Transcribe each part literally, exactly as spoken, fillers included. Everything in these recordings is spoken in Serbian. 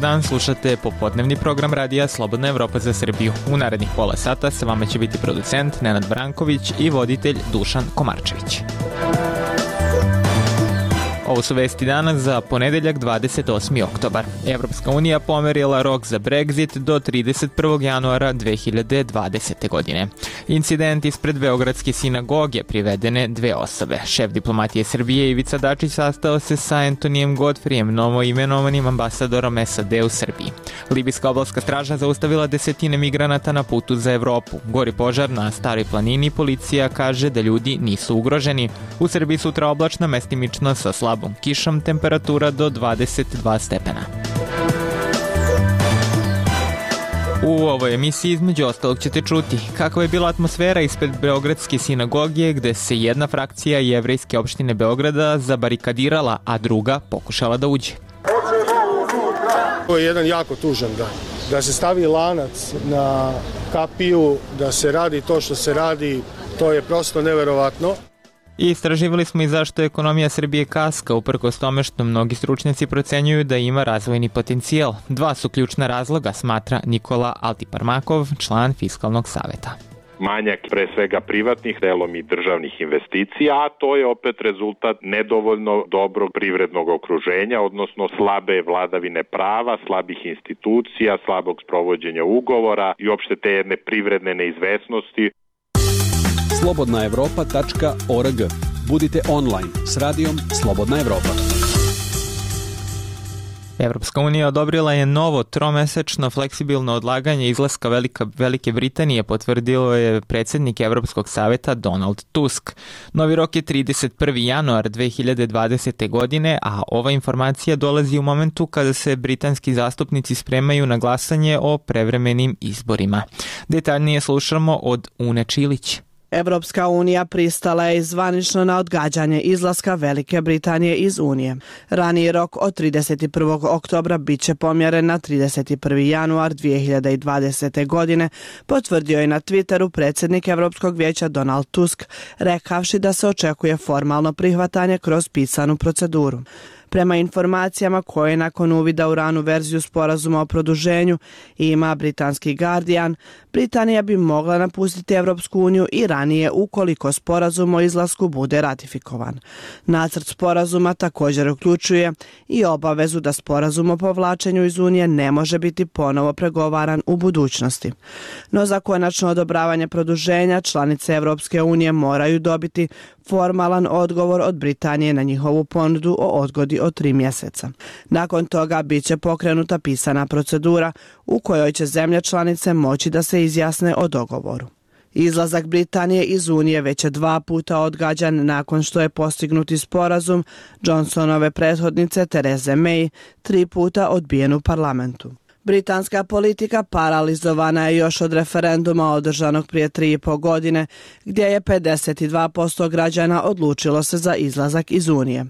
dan, slušate popodnevni program radija Slobodna Evropa za Srbiju. U narednih pola sata sa vama će biti producent Nenad Branković i voditelj Dušan Komarčević. Ovo su vesti danas za ponedeljak dvadeset osmi oktobar. Evropska unija pomerila rok za Brexit do trideset prvog januara dve hiljade dvadesete. godine. Incident ispred Beogradske sinagoge privedene dve osobe. Šef diplomatije Srbije Ivica Dačić sastao se sa Antonijem Godfrijem, novoimenovanim ambasadorom S A D u Srbiji. Libijska obalska straža zaustavila desetine migranata na putu za Evropu. Gori požar na Staroj planini, policija kaže da ljudi nisu ugroženi. U Srbiji sutra oblačno, mestimično sa slabom kišom, temperatura do dvadeset dva stepena. U ovoj emisiji između ostalog ćete čuti kakva je bila atmosfera ispred Beogradske sinagoge gde se jedna frakcija jevrejske opštine Beograda zabarikadirala, a druga pokušala da uđe. To je jedan jako tužan dan. Da se stavi lanac na kapiju, da se radi to što se radi, to je prosto neverovatno. I istraživali smo i zašto ekonomija Srbije kaska, uprkos tome što mnogi stručnjaci procenjuju da ima razvojni potencijal. Dva su ključna razloga, smatra Nikola Altiparmakov, član Fiskalnog saveta. Manjak pre svega privatnih, delom i državnih investicija, a to je opet rezultat nedovoljno dobrog privrednog okruženja, odnosno slabe vladavine prava, slabih institucija, slabog sprovođenja ugovora i opšte te jedne privredne neizvesnosti. slobodna evropa tačka org. Budite online s radijom Slobodna Evropa. Evropska unija odobrila je novo tromesečno fleksibilno odlaganje izlaska Velika, Velike Britanije, potvrdilo je predsjednik Evropskog saveta Donald Tusk. Novi rok je trideset prvi januar dve hiljade dvadesete. godine, a ova informacija dolazi u momentu kada se britanski zastupnici spremaju na glasanje o prevremenim izborima. Detaljnije slušamo od Une Čilić. Evropska unija pristala je zvanično na odgađanje izlaska Velike Britanije iz Unije. Raniji rok od trideset prvog oktobra bit će pomjeren na trideset prvi januar dve hiljade dvadesete. godine, potvrdio je na Twitteru predsjednik Evropskog vijeća Donald Tusk, rekavši da se očekuje formalno prihvatanje kroz pisanu proceduru. Prema informacijama koje nakon uvida u ranu verziju sporazuma o produženju ima britanski Guardian, Britanija bi mogla napustiti Evropsku uniju i ranije ukoliko sporazum o izlasku bude ratifikovan. Nacrt sporazuma također uključuje i obavezu da sporazum o povlačenju iz Unije ne može biti ponovo pregovaran u budućnosti. No za konačno odobravanje produženja članice Evropske unije moraju dobiti formalan odgovor od Britanije na njihovu ponudu o odgodi od tri mjeseca. Nakon toga bit će pokrenuta pisana procedura u kojoj će zemlje članice moći da se izjasne o dogovoru. Izlazak Britanije iz Unije već je dva puta odgađan nakon što je postignuti sporazum Johnsonove prethodnice Therese May tri puta odbijen u parlamentu. Britanska politika paralizovana je još od referenduma održanog prije tri i po godine, gdje je pedeset dva posto građana odlučilo se za izlazak iz Unije.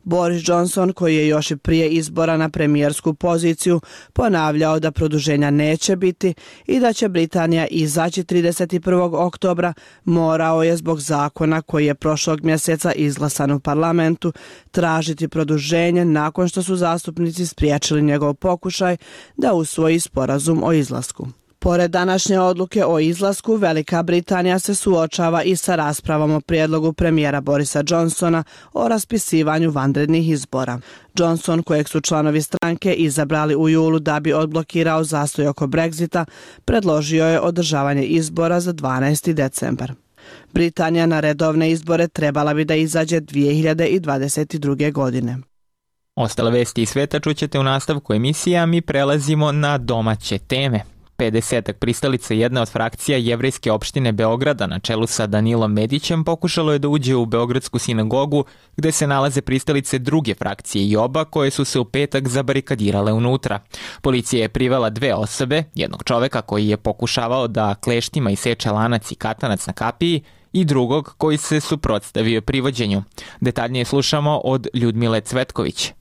Boris Johnson, koji je još i prije izbora na premijersku poziciju ponavljao da produženja neće biti i da će Britanija izaći trideset prvog oktobra, morao je zbog zakona koji je prošlog mjeseca izglasan u parlamentu tražiti produženje nakon što su zastupnici spriječili njegov pokušaj da usvoji sporazum o izlasku. Pored današnje odluke o izlasku, Velika Britanija se suočava i sa raspravom o prijedlogu premijera Borisa Johnsona o raspisivanju vanrednih izbora. Johnson, kojeg su članovi stranke izabrali u julu da bi odblokirao zastoj oko Brexita, predložio je održavanje izbora za dvanaesti decembar. Britanija na redovne izbore trebala bi da izađe dve hiljade dvadeset druge. godine. Ostale vesti iz sveta čućete u nastavku emisija, mi prelazimo na domaće teme. pedesetak pristalica jedne od frakcija jevrejske opštine Beograda na čelu sa Danilom Medićem pokušalo je da uđe u Beogradsku sinagogu gde se nalaze pristalice druge frakcije i oba koje su se u petak zabarikadirale unutra. Policija je privela dve osobe, jednog čoveka koji je pokušavao da kleštima iseče lanac i katanac na kapiji i drugog koji se suprotstavio privođenju. Detaljnije slušamo od Ljudmile Cvetković.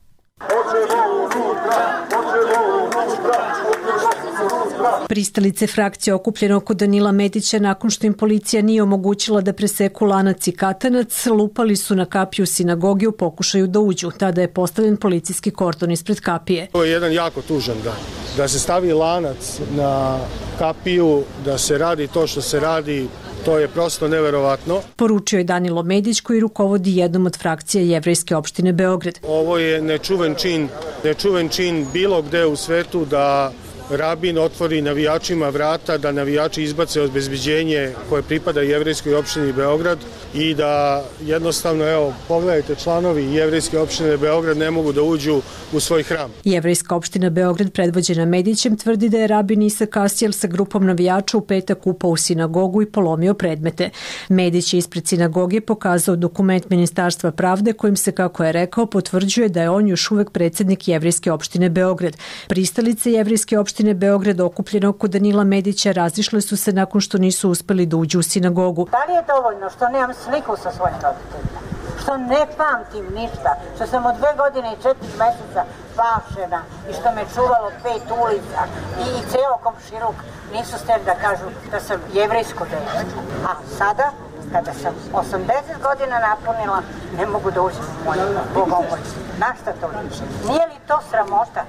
Pristalice frakcije okupljene oko Danila Medića nakon što im policija nije omogućila da preseku lanac i katanac, lupali su na kapiju sinagogi u pokušaju da uđu. Tada je postavljen policijski kordon ispred kapije. To je jedan jako tužan dan. Da se stavi lanac na kapiju, da se radi to što se radi, to je prosto neverovatno. Poručio je Danilo Medić koji rukovodi jednom od frakcija Jevrejske opštine Beograd. Ovo je nečuven čin, nečuven čin bilo gde u svetu da rabin otvori navijačima vrata, da navijači izbace obezbeđenje koje pripada Jevrejskoj opštini Beograd i da jednostavno, evo, pogledajte, članovi Jevrejske opštine Beograd ne mogu da uđu u svoj hram. Jevrejska opština Beograd predvođena Medićem tvrdi da je rabin Isak Asijel sa grupom navijača u petak upao u sinagogu i polomio predmete. Medić je ispred sinagoge pokazao dokument Ministarstva pravde kojim se, kako je rekao, potvrđuje da je on još uvek predsjednik Jevrejske opštine Beograd. Pristalice Jevrejske opštine Beograd okupljene oko Danila Medića razišle su se nakon što nisu uspeli da uđu u sinagogu. Da li je dovoljno što nemam sliku sa svojim roditeljima? Što ne pamtim ništa? Što sam od dve godine i četiri meseca pašena i što me čuvalo pet ulica i, i ceo komšiluk nisu steli da kažu da sam jevrejsko dete. A sada, kada sam osamdeset godina napunila, ne mogu da uđem u moju bogomolju. Na šta to liči? Nije li to sramota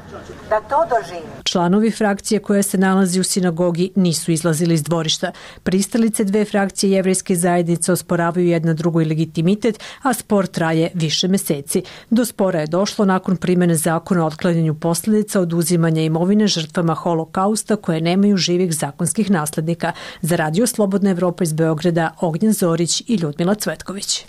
da to doživim? Članovi frakcije koja se nalazi u sinagogi nisu izlazili iz dvorišta. Pristalice dve frakcije jevrejske zajednice osporavaju jedna drugoj legitimitet, a spor traje više meseci. Do spora je došlo nakon primene zakona o otklanjanju posljedica oduzimanja imovine žrtvama holokausta koje nemaju živih zakonskih naslednika. Za Radio Slobodna Evropa iz Beograda, Ognjen Zorić i Ljudmila Cvetković.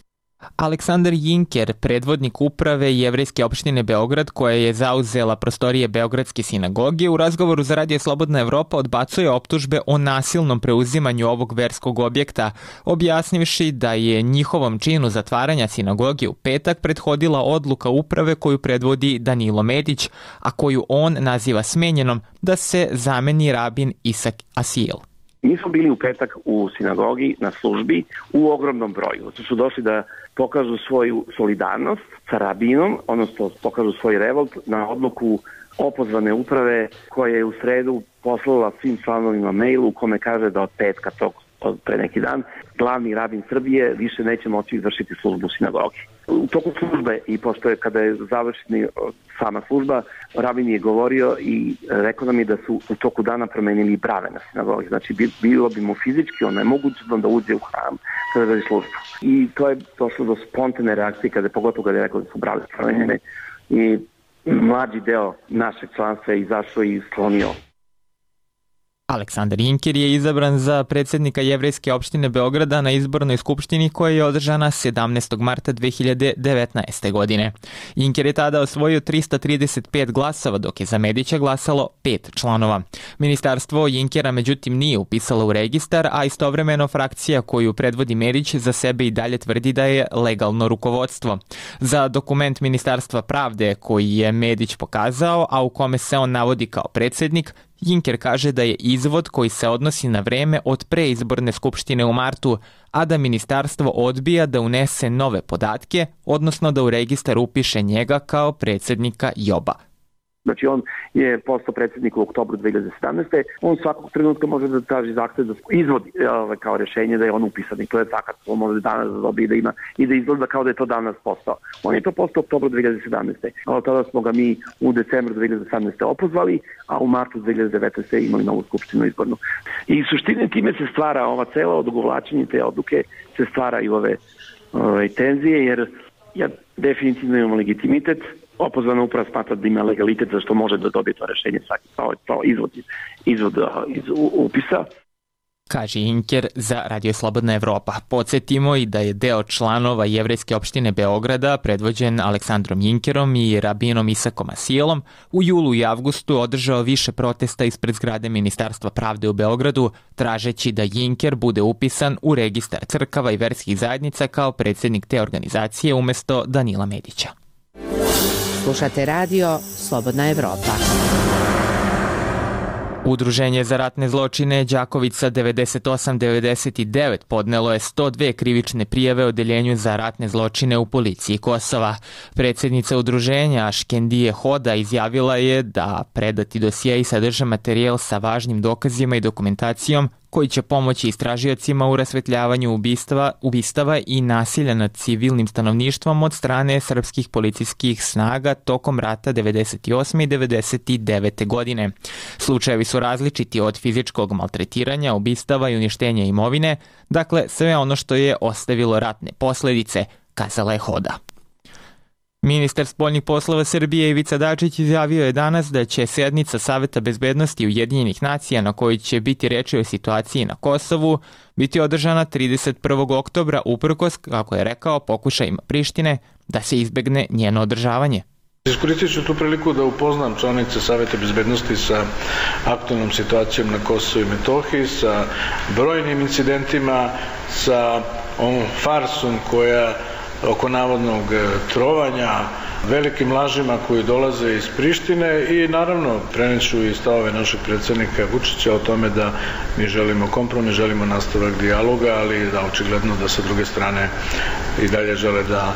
Aleksandar Jinker, predvodnik uprave Jevrejske opštine Beograd koja je zauzela prostorije Beogradske sinagoge, u razgovoru za Radio Slobodna Evropa odbacuje optužbe o nasilnom preuzimanju ovog verskog objekta, objasnivši da je njihovom činu zatvaranja sinagoge u petak prethodila odluka uprave koju predvodi Danilo Medić, a koju on naziva smenjenom da se zameni rabin Isak Asijel. Mi smo bili u petak u sinagogi na službi u ogromnom broju. Tu su došli da pokažu svoju solidarnost sa rabinom, odnosno pokažu svoj revolt na odluku opozvane uprave koja je u sredu poslala svim članovima mail u kome kaže da od petka tog od pre neki dan glavni rabin Srbije više neće moći izvršiti službu u sinagogi. U toku službe i pošto je kada je završena sama služba, rabin je govorio i rekao nam je da su u toku dana promenili brave na sinagogi. Znači bilo bi mu fizički onemogućeno da uđe u hram kada radi službu. I to je došlo do spontane reakcije kada je pogotovo kada je rekao da su brave promenjene i mlađi deo našeg članstva je izašao i sklonio. Aleksandar Jinker je izabran za predsjednika Jevrejske opštine Beograda na izbornoj skupštini koja je održana sedamnaestog marta dve hiljade devetnaeste. godine. Jinker je tada osvojio trista trideset pet glasova, dok je za Medića glasalo pet članova. Ministarstvo Jinkera međutim nije upisalo u registar, a istovremeno frakcija koju predvodi Medić za sebe i dalje tvrdi da je legalno rukovodstvo. Za dokument Ministarstva pravde koji je Medić pokazao, a u kome se on navodi kao predsjednik, Jinker kaže da je izvod koji se odnosi na vreme od preizborne skupštine u martu, a da ministarstvo odbija da unese nove podatke, odnosno da u registar upiše njega kao predsjednika Joba. Znači on je postao predsjednik u oktobru dve hiljade sedamnaeste. On svakog trenutka može da traži zahtev da izvodi kao rješenje da je on upisan i to je fakat. On može danas da dobije da ima i da izgleda kao da je to danas postao. On je to postao u oktobru dve hiljade sedamnaeste. A tada smo ga mi u decembru dve hiljade sedamnaeste opozvali, a u martu dve hiljade devetnaeste imali novu skupštinu izbornu. I suštine time se stvara ova cela odugovlačenje te odluke, se stvaraju ove, ove tenzije jer ja definitivno imamo legitimitet. Opozvana uprava smatra da ima legalitet za što može da dobije to rešenje svaki to izvod, izvod iz upisa. Kaže Jinker za Radio Slobodna Evropa. Podsjetimo i da je deo članova Jevrejske opštine Beograda, predvođen Aleksandrom Jinkerom i rabinom Isakom Asijelom, u julu i avgustu održao više protesta ispred zgrade Ministarstva pravde u Beogradu, tražeći da Jinker bude upisan u registar crkava i verskih zajednica kao predsjednik te organizacije umesto Danila Medića. Slušate Radio Slobodna Evropa. Udruženje za ratne zločine Đakovica devedeset osam devedeset devet podnelo je sto dve krivične prijave Odeljenju za ratne zločine u policiji Kosova. Predsjednica udruženja Škendije Hoda izjavila je da predati dosjei sadrže materijal sa važnim dokazima i dokumentacijom koji će pomoći istražiocima u rasvetljavanju ubistava, ubistava i nasilja nad civilnim stanovništvom od strane srpskih policijskih snaga tokom rata devedeset osme i devedeset devete godine. Slučajevi su različiti od fizičkog maltretiranja, ubistava i uništenja imovine, dakle sve ono što je ostavilo ratne posledice, kazala je Hoda. Ministar spoljnih poslova Srbije Ivica Dačić izjavio je danas da će sednica Saveta bezbednosti Ujedinjenih nacija na kojoj će biti reči o situaciji na Kosovu biti održana trideset prvog oktobra uprkos, kako je rekao, pokušajima Prištine da se izbegne njeno održavanje. Iskoristit ću tu priliku da upoznam članice Saveta bezbednosti sa aktualnom situacijom na Kosovu i Metohiji, sa brojnim incidentima, sa ovom farsom koja oko navodnog trovanja, velikim lažima koji dolaze iz Prištine i naravno preneću i stavove našeg predsjednika Vučića o tome da mi želimo kompromis, želimo nastavak dijaloga, ali da očigledno da sa druge strane i dalje žele da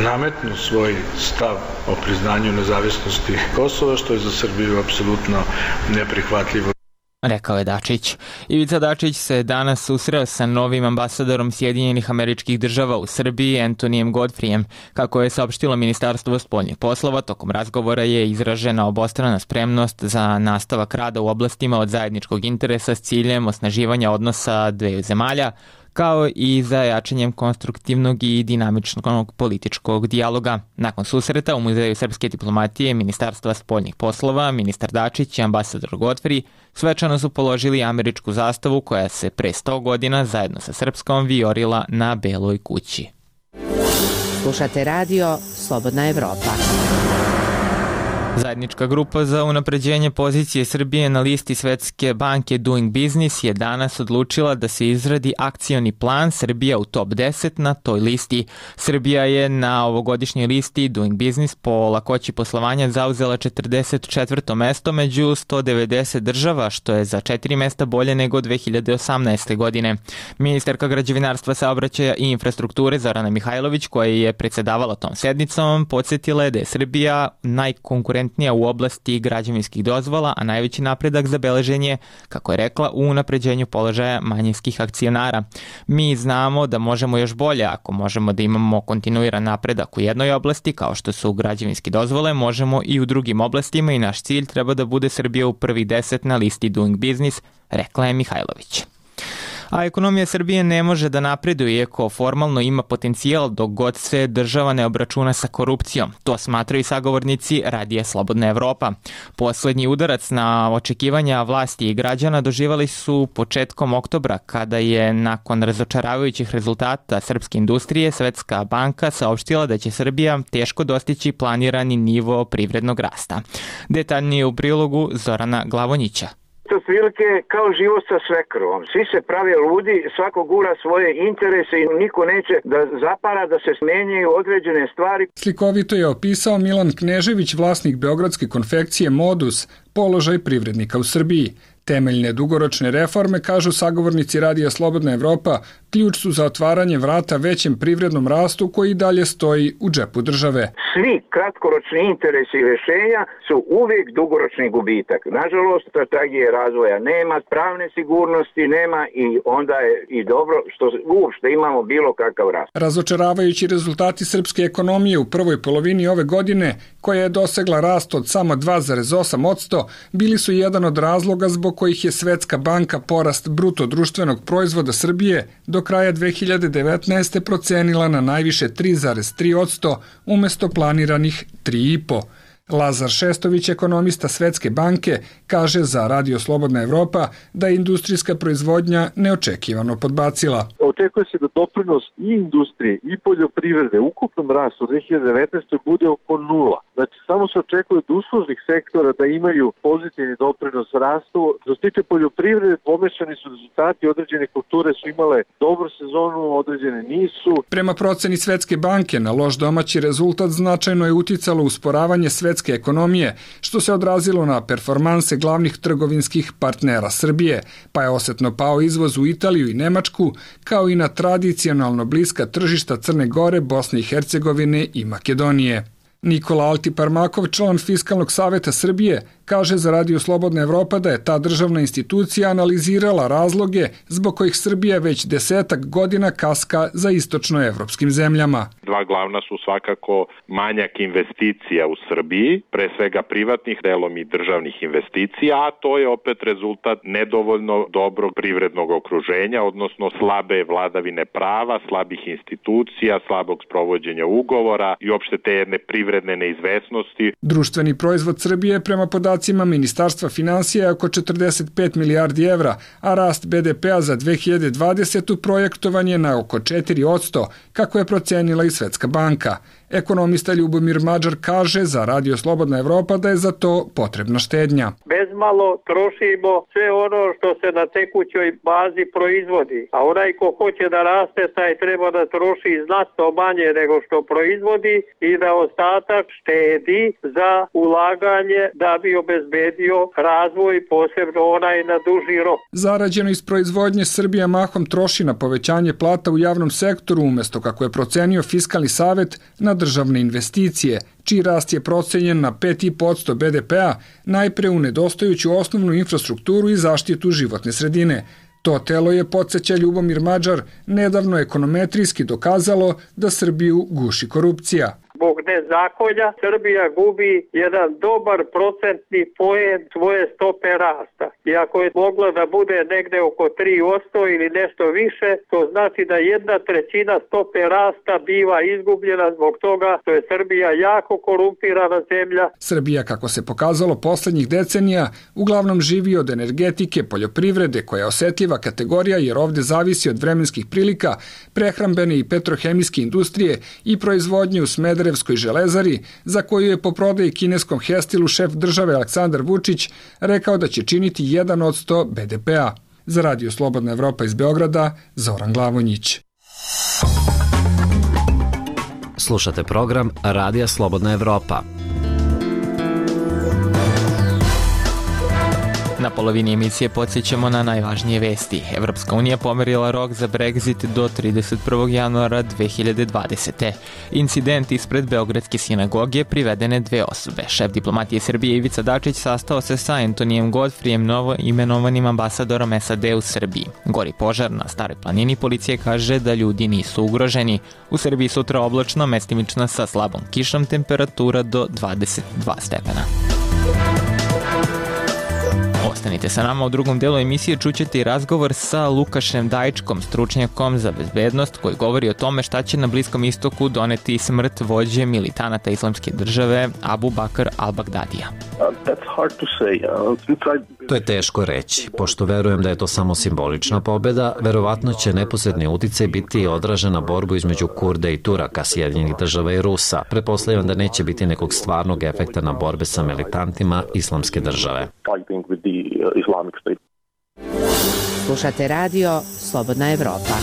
nametnu svoj stav o priznanju nezavisnosti Kosova, što je za Srbiju apsolutno neprihvatljivo. Rekao je Dačić. Ivica Dačić se danas susreo sa novim ambasadorom Sjedinjenih Američkih Država u Srbiji, Antonijem Godfrijem. Kako je saopštilo Ministarstvo spoljnih poslova, tokom razgovora je izražena obostrana spremnost za nastavak rada u oblastima od zajedničkog interesa s ciljem osnaživanja odnosa dveju zemalja, kao i za jačanjem konstruktivnog i dinamičnog političkog dijaloga. Nakon susreta u Muzeju srpske diplomatije Ministarstva spoljnih poslova, ministar Dačić i ambasador Godfrey svečano su položili američku zastavu koja se pre sto godina zajedno sa srpskom vijorila na Beloj kući. Slušate radio Slobodna Evropa. Zajednička grupa za unapređenje pozicije Srbije na listi Svetske banke Doing Business je danas odlučila da se izradi akcioni plan Srbija u top deset na toj listi. Srbija je na ovogodišnjoj listi Doing Business po lakoći poslovanja zauzela četrdeset četvrto mesto među sto devedeset država, što je za četiri mesta bolje nego dve hiljade osamnaeste. godine. Ministarka građevinarstva, saobraćaja i infrastrukture Zorana Mihajlović, koja je predsedavala tom sednicom, podsjetila je da je Srbija najkonkurentnija u oblasti građevinskih dozvola, a najveći napredak zabeležen je, kako je rekla, u unapređenju položaja manjinskih akcionara. Mi znamo da možemo još bolje, ako možemo da imamo kontinuiran napredak u jednoj oblasti, kao što su građevinske dozvole, možemo i u drugim oblastima i naš cilj treba da bude Srbija u prvih deset na listi Doing Business, rekla je Mihajlović. A ekonomija Srbije ne može da napreduje iako formalno ima potencijal dok god se država ne obračuna sa korupcijom. To smatraju i sagovornici Radija Slobodna Evropa. Poslednji udarac na očekivanja vlasti i građana doživali su početkom oktobra kada je nakon razočaravajućih rezultata srpske industrije Svetska banka saopštila da će Srbija teško dostići planirani nivo privrednog rasta. Detaljnije u prilogu Zorana Glavonjića. Otprilike kao život sa svekrvom. Svi se prave ludi, svako gura svoje interese i niko neće da zapara da se smenjaju određene stvari. Slikovito je opisao Milan Knežević, vlasnik beogradske konfekcije Modus, položaj privrednika u Srbiji. Temeljne dugoročne reforme, kažu sagovornici Radija Slobodna Evropa, ključ su za otvaranje vrata većem privrednom rastu koji dalje stoji u džepu države. Svi kratkoročni interesi i rešenja su uvijek dugoročni gubitak. Nažalost, strategije razvoja nema, pravne sigurnosti nema i onda je i dobro što uopšte imamo bilo kakav rast. Razočaravajući rezultati srpske ekonomije u prvoj polovini ove godine, koja je dosegla rast od samo dva zarez osam posto, bili su jedan od razloga zbog kojih je Svetska banka porast bruto društvenog proizvoda Srbije do kraja dve hiljade devetnaeste. procenila na najviše tri zarez tri posto umesto planiranih tri zarez pet posto. Lazar Šestović, ekonomista Svetske banke, kaže za Radio Slobodna Evropa da je industrijska proizvodnja neočekivano podbacila. Očekuje se da doprinos i industrije i poljoprivrede ukupnom rastu u dve hiljade devetnaestoj. bude oko nula. Znači, samo se očekuje od uslužnih sektora da imaju pozitivni doprinos rastu. Što se tiče poljoprivrede, pomešani su rezultati, određene kulture su imale dobru sezonu, određene nisu. Prema proceni Svetske banke, na loš domaći rezultat značajno je uticalo usporavanje svetske ekonomije, što se odrazilo na performanse glavnih trgovinskih partnera Srbije, pa je osetno pao izvoz u Italiju i Nemačku, kao i na tradicionalno bliska tržišta Crne Gore, Bosne i Hercegovine i Makedonije. Nikola Altiparmakov, član Fiskalnog saveta Srbije, kaže za Radio Slobodna Evropa da je ta državna institucija analizirala razloge zbog kojih Srbija već desetak godina kaska za istočnoevropskim zemljama. Dva glavna su svakako manjak investicija u Srbiji, pre svega privatnih, delom i državnih investicija, a to je opet rezultat nedovoljno dobrog privrednog okruženja, odnosno slabe vladavine prava, slabih institucija, slabog sprovođenja ugovora i opšte te jedne privredne neizvesnosti. Društveni proizvod Srbije prema podacima Ministarstva finansija je oko četrdeset pet milijardi evra, a rast be de pea za dve hiljade dvadesetu projektovan je na oko četiri posto, kako je procenila i Svetska banka. Ekonomista Ljubomir Mađar kaže za Radio Slobodna Evropa da je za to potrebna štednja. Bezmalo trošimo sve ono što se na tekućoj bazi proizvodi, a onaj ko hoće da raste, taj treba da troši znatno manje nego što proizvodi i da ostatak štedi za ulaganje da bi obezbedio razvoj, posebno onaj na duži rok. Zarađeno iz proizvodnje Srbija mahom troši na povećanje plata u javnom sektoru, umesto kako je procenio Fiskalni savet na državne investicije, čiji rast je procenjen na pet i po posto be de pea, najpre u nedostajuću osnovnu infrastrukturu i zaštitu životne sredine. To telo je, podsjeća Ljubomir Mađar, nedavno ekonometrijski dokazalo da Srbiju guši korupcija. Zbog nezakonja Srbija gubi jedan dobar procentni poen svoje stope rasta. I ako je mogla da bude negde oko tri posto ili nešto više, to znači da jedna trećina stope rasta biva izgubljena zbog toga što je Srbija jako korumpirana zemlja. Srbija, kako se pokazalo poslednjih decenija, uglavnom živi od energetike, poljoprivrede, koja je osetljiva kategorija jer ovde zavisi od vremenskih prilika, prehrambene i petrohemijske industrije i proizvodnje u Smederevu železari, za koju je po prodaji kineskom Hestilu šef države Aleksandar Vučić rekao da će činiti jedan posto be de pea. Za Radio Slobodna Evropa iz Beograda, Zoran Glavonjić. Slušate program Radija Slobodna Evropa. Na polovini emisije podsjećamo na najvažnije vesti. Evropska unija pomerila rok za Brexit do trideset prvog januara dve hiljade dvadesete. Incident ispred Beogradske sinagoge, privedene dve osobe. Šef diplomatije Srbije Ivica Dačić sastao se sa Antonijem Godfrijem, novo imenovanim ambasadorom es a de u Srbiji. Gori požar na Staroj planini, policija kaže da ljudi nisu ugroženi. U Srbiji sutra oblačno, mestimično sa slabom kišom, temperatura do dvadeset dva stepena. Ostanite sa nama, u drugom delu emisije čućete i razgovor sa Lukašem Dajičkom, stručnjakom za bezbednost, koji govori o tome šta će na Bliskom istoku doneti smrt vođe militanata islamske države Abu Bakr al-Bagdadija. To je teško reći. Pošto verujem da je to samo simbolična pobeda, verovatno će neposredni uticaj biti odražen na borbu između Kurda i Turaka, Sjedinjenih država i Rusa. Pretpostavljam da neće biti nekog stvarnog efekta na borbe sa militantima islamske države. Slušate radio Slobodna Evropa.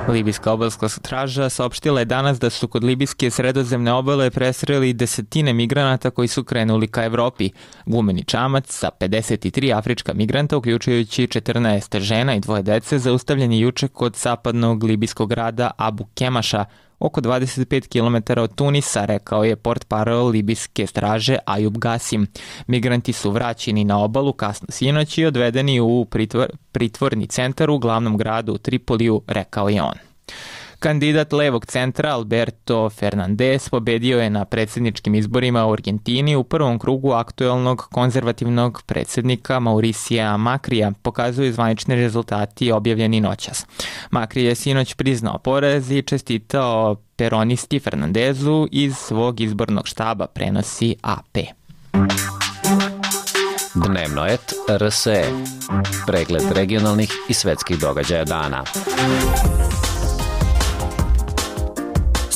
Libijska obalska straža saopštila je danas da su kod libijske sredozemne obale presreli desetine migranata koji su krenuli ka Evropi. Gumeni čamac sa pedeset tri afrička migranta, uključujući četrnaest žena i dvoje dece, zaustavljen je juče kod zapadnog libijskog grada Abu Kemaša, oko dvadeset pet kilometara od Tunisa, rekao je portparol libijske straže Ajub Gasim. Migranti su vraćeni na obalu kasno sinoć i odvedeni u pritvor, pritvorni centar u glavnom gradu u Tripoliju, rekao je on. Kandidat levog centra Alberto Fernandez pobedio je na predsjedničkim izborima u Argentini u prvom krugu aktuelnog konzervativnog predsjednika Mauricija Makrija, pokazuju zvanični rezultati objavljeni noćas. Makri je sinoć priznao poraz i čestitao peronisti Fernandezu iz svog izbornog štaba, prenosi a pe. Dnevno et er es e. Pregled regionalnih i svetskih događaja dana.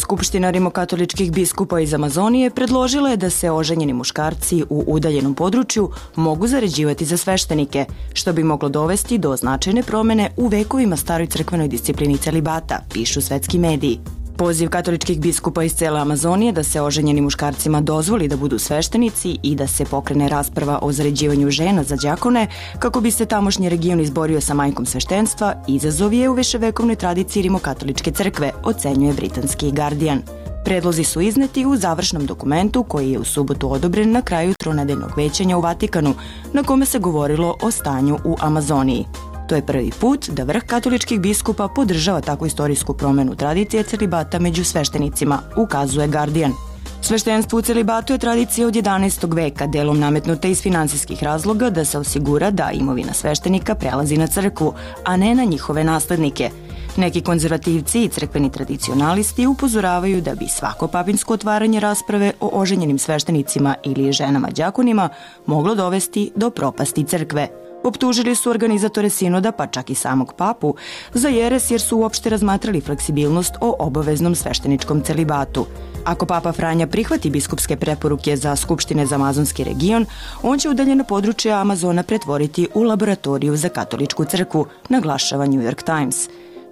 Skupština rimokatoličkih biskupa iz Amazonije predložila je da se oženjeni muškarci u udaljenom području mogu zaređivati za sveštenike, što bi moglo dovesti do značajne promene u vekovima staroj crkvenoj disciplini celibata, pišu svetski mediji. Poziv katoličkih biskupa iz cele Amazonije da se oženjenim muškarcima dozvoli da budu sveštenici i da se pokrene rasprava o zaređivanju žena za đakone kako bi se tamošnji region izborio sa majkom sveštenstva, izazov je u viševekovnoj tradiciji rimokatoličke crkve, ocenjuje britanski Guardian. Predlozi su izneti u završnom dokumentu koji je u subotu odobren na kraju tronedeljnog većanja u Vatikanu, na kome se govorilo o stanju u Amazoniji. To je prvi put da vrh katoličkih biskupa podržava takvu istorijsku promenu tradicije celibata među sveštenicima, ukazuje Guardian. Sveštenstvo u celibatu je tradicija od jedanaestog veka, delom nametnuta iz finansijskih razloga da se osigura da imovina sveštenika prelazi na crkvu, a ne na njihove naslednike. Neki konzervativci i crkveni tradicionalisti upozoravaju da bi svako papinsko otvaranje rasprave o oženjenim sveštenicima ili ženama đakonima moglo dovesti do propasti crkve. Optužili su organizatore sinoda, pa čak i samog papu, za jeres jer su uopšte razmatrali fleksibilnost o obaveznom svešteničkom celibatu. Ako papa Franja prihvati biskupske preporuke za skupštine za amazonski region, on će udaljeno područje Amazona pretvoriti u laboratoriju za katoličku crkvu, naglašava New York Times.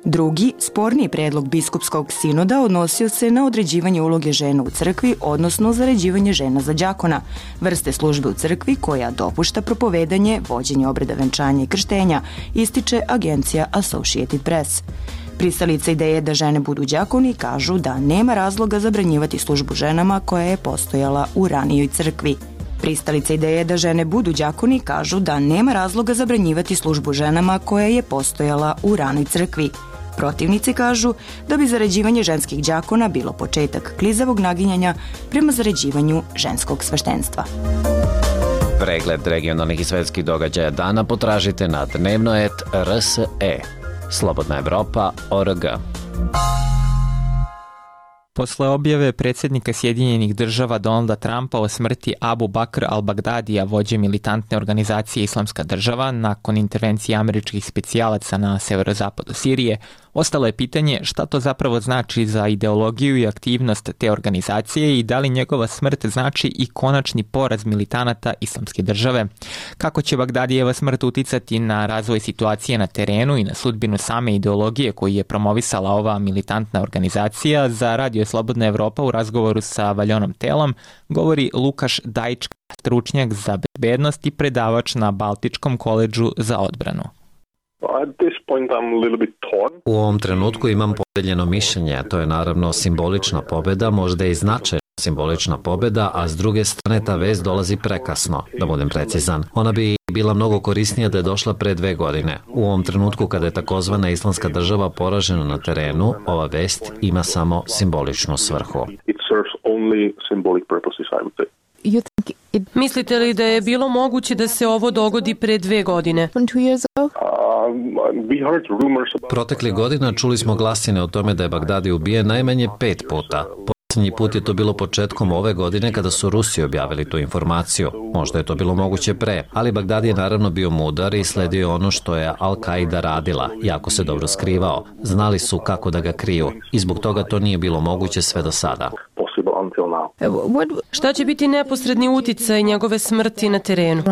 Drugi, sporniji predlog biskupskog sinoda odnosio se na određivanje uloge žena u crkvi, odnosno zaređivanje žena za đakona, vrste službe u crkvi koja dopušta propovedanje, vođenje obreda venčanja i krštenja, ističe agencija Associated Press. Pristalice ideje da žene budu đakoni kažu da nema razloga zabranjivati službu ženama koja je postojala u ranijoj crkvi. Pristalice ideje da žene budu đakoni kažu da nema razloga zabranjivati službu ženama koja je postojala u ranoj crkvi. Protivnici kažu da bi zaređivanje ženskih đakona bilo početak klizavog naginjanja prema zaređivanju ženskog sveštenstva. Pregled regionalnih i svetskih događaja dana potražite na dnevnoet R S E. Slobodna Evropa, O R G. Posle objave predsjednika Sjedinjenih država Donalda Trumpa o smrti Abu Bakr al-Bagdadija, vođe militantne organizacije Islamska država, nakon intervencije američkih specijalaca na severozapadu Sirije, ostalo je pitanje šta to zapravo znači za ideologiju i aktivnost te organizacije i da li njegova smrt znači i konačni poraz militanata Islamske države. Kako će Bagdadijeva smrt uticati na razvoj situacije na terenu i na sudbinu same ideologije koju je promovisala ova militantna organizacija, za Radio Slobodna Evropa u razgovoru sa Valjonom Telom govori Lukaš Dajčka, stručnjak za bezbednost i predavač na Baltičkom koledžu za odbranu. U ovom trenutku imam podeljeno mišljenje, to je naravno simbolična pobjeda, možda i značajna simbolična pobjeda, a s druge strane ta vest dolazi prekasno, da budem precizan. Ona bi bila mnogo korisnija da je došla pre dve godine. U ovom trenutku kada je takozvana Islamska država poražena na terenu, ova vest ima samo simboličnu svrhu. Mislite li da je bilo moguće da se ovo dogodi pre dve godine? Proteklih godina čuli smo glasine o tome da je Bagdadi ubijen najmanje pet puta. Posljednji put je to bilo početkom ove godine kada su Rusi objavili tu informaciju. Možda je to bilo moguće pre, ali Bagdadi je naravno bio mudar i sledio ono što je Al-Qaida radila, jako se dobro skrivao. Znali su kako da ga kriju i zbog toga to nije bilo moguće sve do sada. Šta će biti neposredni uticaj njegove smrti na terenu?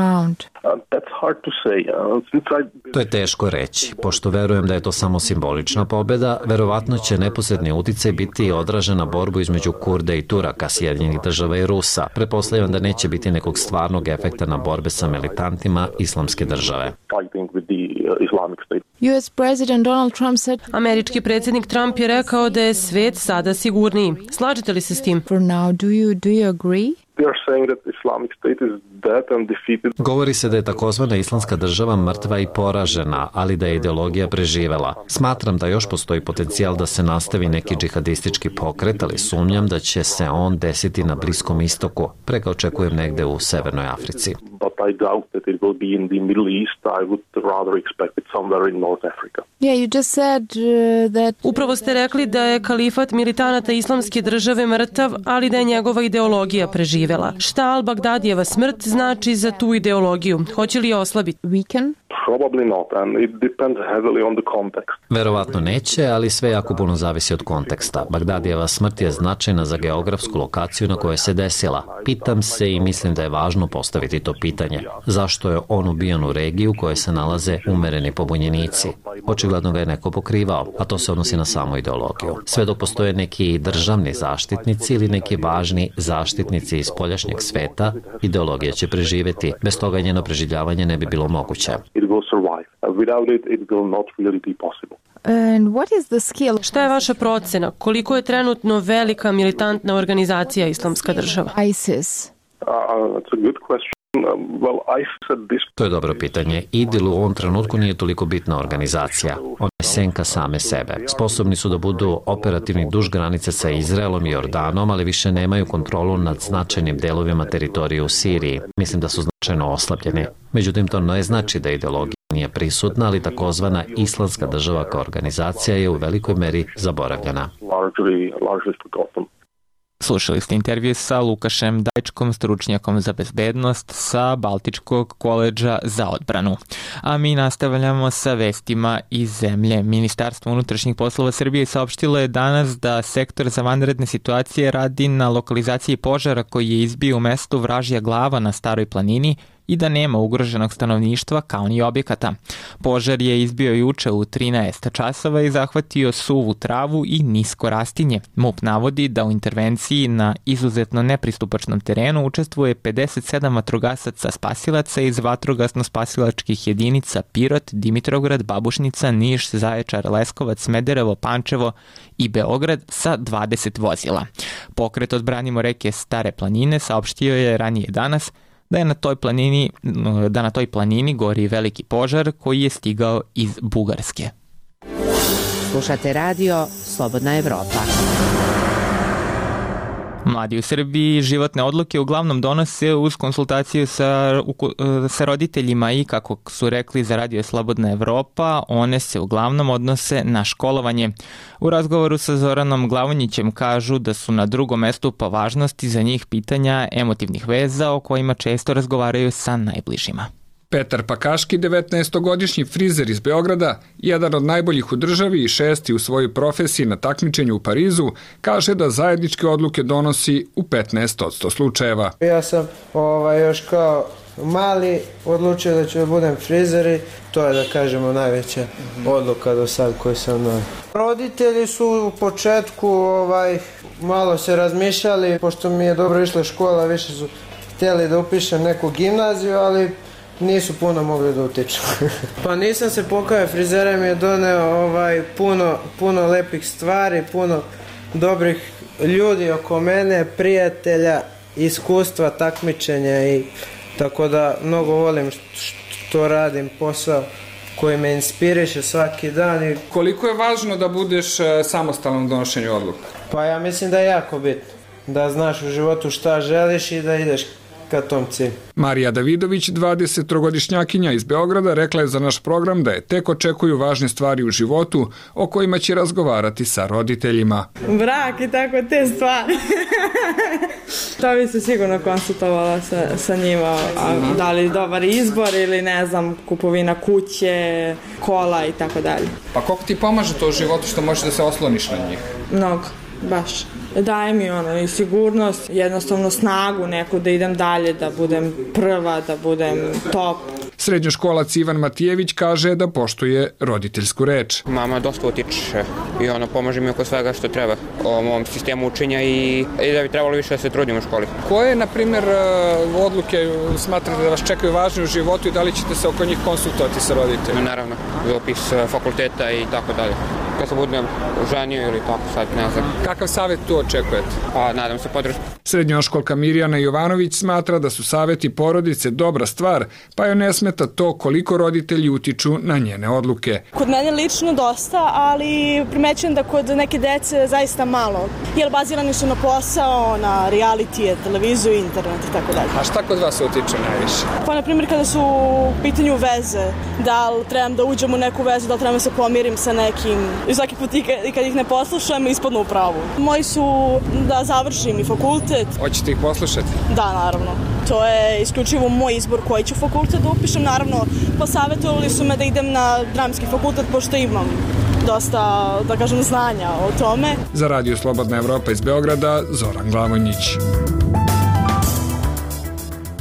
To je teško reći. Pošto verujem da je to samo simbolična pobjeda, verovatno će neposredni uticaj biti odražen na borbu između Kurda i Turaka, Sjedinjenih država i Rusa. Pretpostavljam da neće biti nekog stvarnog efekta na borbe sa militantima Islamske države. Američki predsjednik Trump je rekao da je svet sada sigurniji. Slažete li se s tim? Govori se da je takozvana Islamska država mrtva i poražena, ali da je ideologija preživela. Smatram da još postoji potencijal da se nastavi neki džihadistički pokret, ali sumnjam da će se on desiti na Bliskom istoku. Preka očekujem negde u Severnoj Africi. I doubt that it will be in the Middle East. I would rather expect it somewhere in North Africa. Yeah, you just said uh, that... Upravo ste rekli da je kalifat militanata islamske države mrtav, ali da je njegova ideologija preživela. Šta al-Bagdadijeva smrt znači za tu ideologiju? Hoće li je oslabiti? Weaken? Probably not, and it depends heavily on the context. Verovatno neće, ali sve jako puno zavisi od konteksta. Bagdadijeva smrt je značajna za geografsku lokaciju na kojoj se desila. Pitam se i mislim da je važno postaviti to pitanje. Zašto je on ubijan u regiji u kojoj se nalaze umereni pobunjenici? Očigledno ga je neko pokrivao, a to se odnosi na samu ideologiju. Sve dok postoje neki državni zaštitnici ili neki važni zaštitnici iz spoljašnjeg sveta, ideologija će preživeti. Bez toga njeno preživljavanje ne bi bilo moguće. And what is the skill? Šta je vaša procena? Koliko je trenutno velika militantna organizacija Islamska država? ISIS. Uh, that's a good question. Well, ISIS at this... To je dobro pitanje. IDIL u ovom trenutku nije toliko bitna organizacija. Ona je senka same sebe. Sposobni su da budu operativni duž granice sa Izraelom i Jordanom, ali više nemaju kontrolu nad značajnim delovima teritorije u Siriji. Mislim da su značajno oslabljeni. Međutim, to ne znači da ideologija nije prisutna, ali takozvana Islamska država kao organizacija je u velikoj meri zaboravljena. Slušali ste intervju sa Lukašem Dajčkom, stručnjakom za bezbednost sa Baltičkog koledža za odbranu. A mi nastavljamo sa vestima iz zemlje. Ministarstvo unutrašnjih poslova Srbije saopštilo je danas da sektor za vanredne situacije radi na lokalizaciji požara koji je izbio u mestu Vražja Glava na Staroj planini i da nema ugroženog stanovništva kao ni objekata. Požar je izbio juče u trinaest časova i zahvatio suvu travu i nisko rastinje. MUP navodi da u intervenciji na izuzetno nepristupačnom terenu učestvuje pedeset sedam vatrogasaca spasilaca iz vatrogasno-spasilačkih jedinica Pirot, Dimitrovgrad, Babušnica, Niš, Zaječar, Leskovac, Smederevo, Pančevo i Beograd sa dvadeset vozila. Pokret Odbranimo reke Stare planine saopštio je ranije danas da je na toj planini, da na toj planini gori veliki požar koji je stigao iz Bugarske. Slušate radio Slobodna Evropa. Mladi u Srbiji životne odluke uglavnom donose uz konsultaciju sa, sa roditeljima i, kako su rekli za radio Slobodna Evropa, one se uglavnom odnose na školovanje. U razgovoru sa Zoranom Glavonjićem kažu da su na drugom mestu po važnosti za njih pitanja emotivnih veza o kojima često razgovaraju sa najbližima. Petar Pakaški, devetnaestogodišnji frizer iz Beograda, jedan od najboljih u državi i šesti u svojoj profesiji na takmičenju u Parizu, kaže da zajedničke odluke donosi u petnaest posto slučajeva. Ja sam ovaj, još kao mali odlučio da ću da budem frizer i to je, da kažemo, najveća odluka do sad koju sam donio. Roditelji su u početku ovaj, malo se razmišljali, pošto mi je dobro išla škola, više su htjeli da upišem neku gimnaziju, ali nisu puno mogli da utiču. Pa nisam se pokajao, frizera mi je doneo ovaj, puno, puno lepih stvari, puno dobrih ljudi oko mene, prijatelja, iskustva, takmičenja i tako da mnogo volim što radim, posao koji me inspiriše svaki dan. I... Koliko je važno da budeš samostalan u donošenju odluka? Pa ja mislim da je jako bitno, da znaš u životu šta želiš i da ideš ka tom cilju. Marija Davidović, dvadesettrogodišnjakinja iz Beograda, rekla je za naš program da je tek očekuju važne stvari u životu o kojima će razgovarati sa roditeljima. Brak i tako te stvari. To bi se sigurno konsultovala sa, sa njima, a, da li dobar izbor ili ne znam, kupovina kuće, kola i tako dalje. Pa koliko ti pomaže to u životu što možeš da se osloniš na njih? Mnogo, baš. Daje mi ono i sigurnost, jednostavno snagu neku da idem dalje, da budem prva, da budem top. Srednjoškolac Ivan Matijević kaže da poštuje roditeljsku reč. Mama dosta utiče i ono pomaže mi oko svega što treba o mom sistemu učenja i, i da bi trebalo više da se trudim u školi. Koje, na primjer, odluke smatrate da vas čekaju važne u životu i da li ćete se oko njih konsultovati sa roditeljima? Naravno, upis fakulteta i tako dalje. kad se budem ženio ili tako, sad ne znam. Kakav savjet tu očekujete? Pa, nadam se podršku. Srednjoškolka Mirjana Jovanović smatra da su savjeti porodice dobra stvar, pa joj ne smeta to koliko roditelji utiču na njene odluke. Kod mene lično dosta, ali primećujem da kod neke dece zaista malo, jer bazirani su na posao, na realitije, televiziju, internet i tako dalje. A šta kod vas utiče najviše? Pa, na primjer, kada su u pitanju veze, da li trebam da uđem u neku vezu, da li trebam da se pomirim sa nekim, i svaki put i kad ih ne poslušam, ispadnu u pravu. Moji su da završim i fakultet. Hoćete ih poslušati? Da, naravno. To je isključivo moj izbor koji ću fakultet da upišem. Naravno, posavjetovali su me da idem na dramski fakultet, pošto imam dosta, da kažem, znanja o tome. Za Radio Slobodna Evropa iz Beograda, Zoran Glavonjić.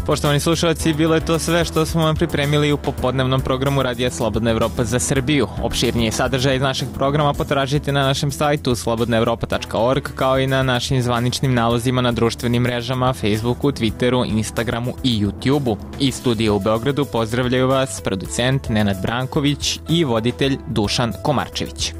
Poštovani slušalci, bilo je to sve što smo vam pripremili u popodnevnom programu Radija Slobodna Evropa za Srbiju. Opširniji sadržaj iz našeg programa potražite na našem sajtu slobodna evropa tačka org, kao i na našim zvaničnim nalozima na društvenim mrežama, Facebooku, Twitteru, Instagramu i YouTubeu. Iz studija u Beogradu pozdravljaju vas producent Nenad Branković i voditelj Dušan Komarčević.